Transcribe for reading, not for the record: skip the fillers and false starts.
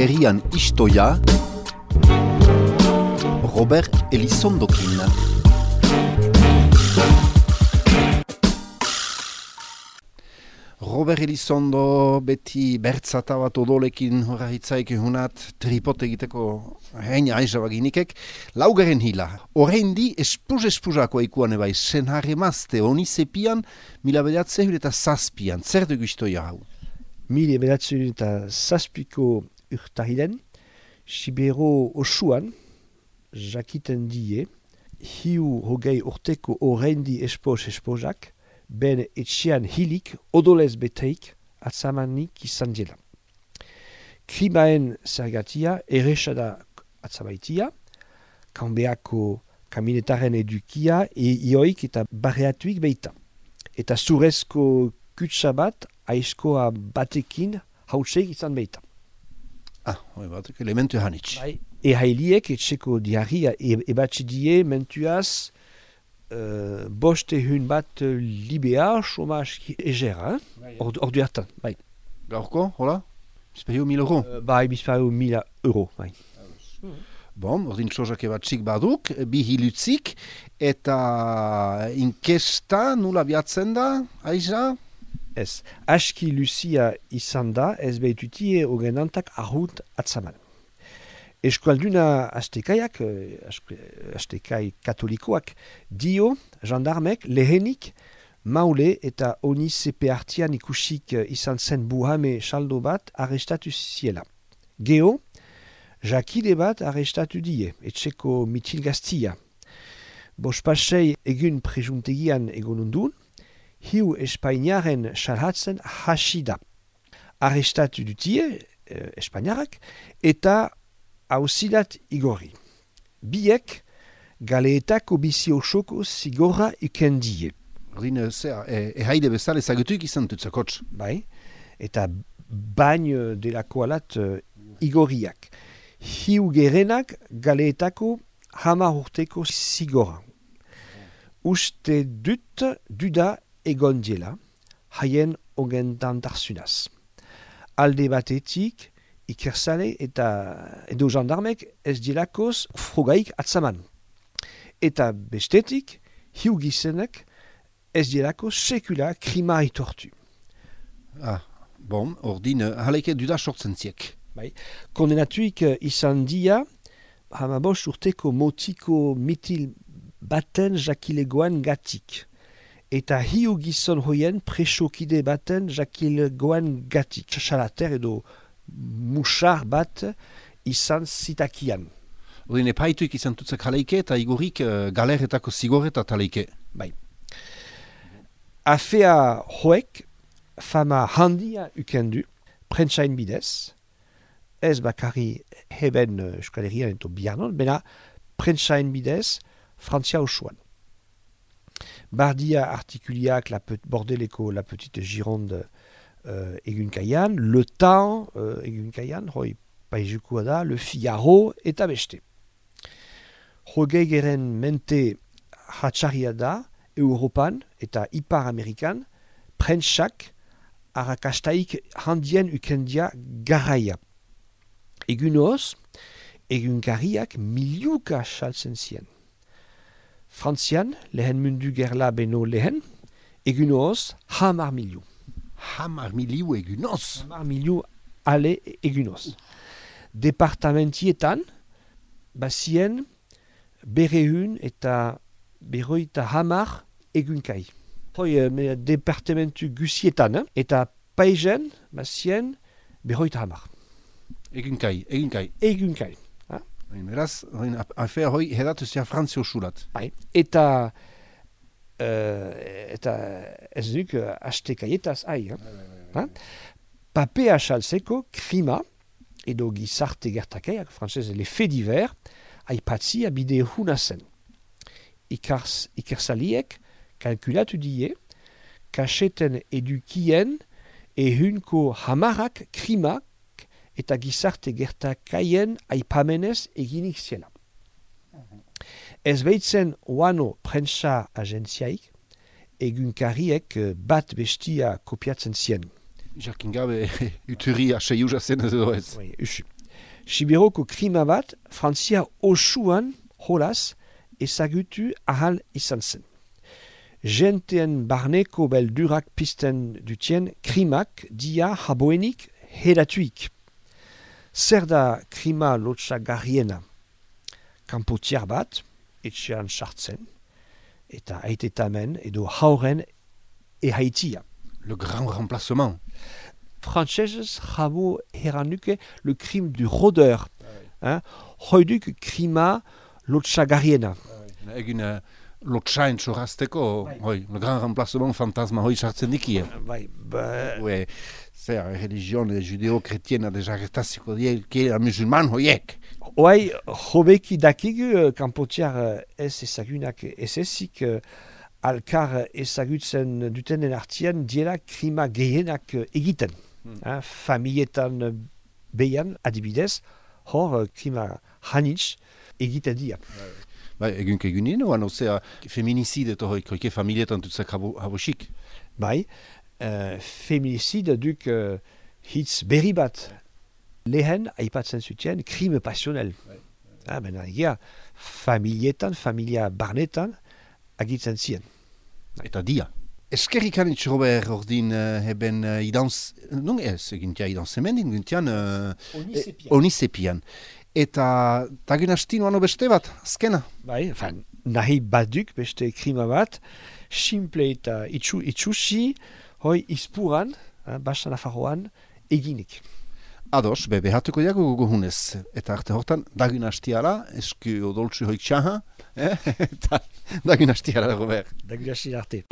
herrian istoia, Robert Elizondokin. Robert Elizondo beti bertzata bat odolekin horra hitzaik ehunat tripot egiteko heina aizabaginikek. Laugaren hila, horreindi espuz-espuzako eikuan ebai senharre mazte honi zepian mila bedatzehun eta zazpian. Zer dugu istoia hau? Mila bedatzehun eta zazpiko urtarilen, Sibero osuan, jakiten die, hiu hogei urteko horreindi espoz-espozak, ben etxean hilik, odolez beteik, atzamanik izan dela. Krimaen zergatia, erresada atzamaitia, kanbeako kaminetaren edukia, ioik eta barreatuik beita. Eta zurezko kutsa bat, aizkoa batekin, hautseik izan beita. Hoi batek elementu hanitz. Bai, ehailiek etxeko diarria ebatxe die mentuaz, bostehun bat libea, chomaz egera, ordu hartan, bai. Gaurko, hola? Bizpario 1000 euro? Bai, bizpario 1000 euro, bai. Bon, ordin txozak ebatxik baduk, bi hilutzik, eta inkesta nula biatzen da, aiza? Ez, aski luzia izan da, ez behitutie ogenantak ahut atzaman. Eskualduna astekaiak, astekai katolikoak, dio, jandarmek, lehenik, maule eta oni zepe hartian ikusik izan zen buhame saldo bat arrestatu ziela. Geo, jakide bat arrestatu die, etxeko mitil gaztia. Bospasei egun prejuntegian egonundun, hiu espainiaren salhatzen hasida. Arrestatu dutie, espainiarak, eta hauzilat igorri. Biek, galeetako bizi osoko zigorra ikendie. Ordin, ehaide bezala ezagutuik izan tutzakotz. Bai, eta bain delako alat igorriak. Hiu gerenak galeetako 10 urteko zigorra. Uste duda egon diela, haien ogentan tarzunaz. Alde batetik, ikersale eta edo jandarmek ez dielakoz frogaik atzaman. Eta bestetik, hiu gizenek ez dielako sekula krima aitortu. Bon, ordin, haleke duda sortzen ziek. Bai. Kondenatuik izan dia, 15 urteko motiko mitil baten jakilegoan gatik. Eta hiu gizon hoien presokide baten jakilegoan gatik. Txalater edo musar bat izan zitakian. Ordin, epaituik izan tutzak haleike eta igorrik galeretako zigoreta taleike. Bai. Afea hoek fama handia ukendu, prentsain bidez, ez bakarri heben Euskal Herrian eta Biarnon, bena prentsain bidez Frantzia osoan. Bardia artikuliak bordeleko la petite Gironde egunkaian, Le Temps egunkaian, hoi paizukua da, Le Figaro eta beste. Hogei geren mente hatxarria da, Europan eta Ipar Amerikan, prentsak arrakastaik handien ukendia garaia. Egunoz, egunkariak miliuka saltzen zien. Frantzian, lehen mundu gerla beno lehen, egunoz, 10 miliu. 10 miliu egunoz? 10 miliu ale egunoz. Departamentietan, bazien, berehun eta berroita 10 egunkai. Hoi, departamentu gusietan, eta paizen, bazien, berroita 10. Egunkai. Egunkai. Beraz, afea hoi hedatu zia Frantzia osulat. Bai. Eta ez duk astekaietaz ai. Papea salzeko krima edo gizarte gertakaiak, frantzez, le faits divers, aipatzi abide huna zen. Ikersaliek kalkulatu die, kaseten edukien ehunko 10 krimak eta gizarte gertakaien aipamenez eginik ziela. Ez behitzen oano prentsa agentziaik, egunkariek bat bestia kopiatzen zien. Jakin gabe, uturi aseiuza zen edo ez. Usu. Sibiroko krima bat, Frantzia osuan holaz ezagutu ahal izan zen. Jenteen barneko beldurak pizten dutien krimak dia haboenik hedatuik. Zer da krima lotsagarriena? Kanpotiar bat, etxean sartzen, eta aitetamen edo hauren ehaitia. Le grand remplacement. Frantsesez jabo heranuke le crime du rôdeur. Hoiduk krima lotsagarriena. Egin lotsain txorrazteko, le grand remplacement fantasma hoi sartzen dikie. Bai, Zer, religion judeo-kretiena dezagertaziko dielke musulman hoiek. Oai, hobeki dakigu kanpotiar ez ezagunak ez ezik alkar ezagutzen dutenen artian diela krima gehienak egiten. Familietan behan, adibidez, hor krima hanitz egiten dia. Bai, egunien, oan ozea feminicide eta hoike familietan dutzak habosik. Bai, feminicide duk hitz berri bat. Lehen aipatzen zuten krime passionel. Bena egia, familietan, familia barnetan agitzen ziren. Eta dia. Eskerrik anitz, Robert, ordin heben idantz... Non ez, egintia idantz hemen, egintian... Onisepian. Eta tagun hastin oano beste bat, azkena? Bai, nahi baduk beste krima bat, simple eta itxusi, hoi izpuran, Basa Nafarroan, eginik. Ados, behatuko diago gogohunez. Eta arte hortan, dagun hastiala, esku odoltsu hoik txaha, eta dagun hastiala, Robert. Dagun hastiala arte.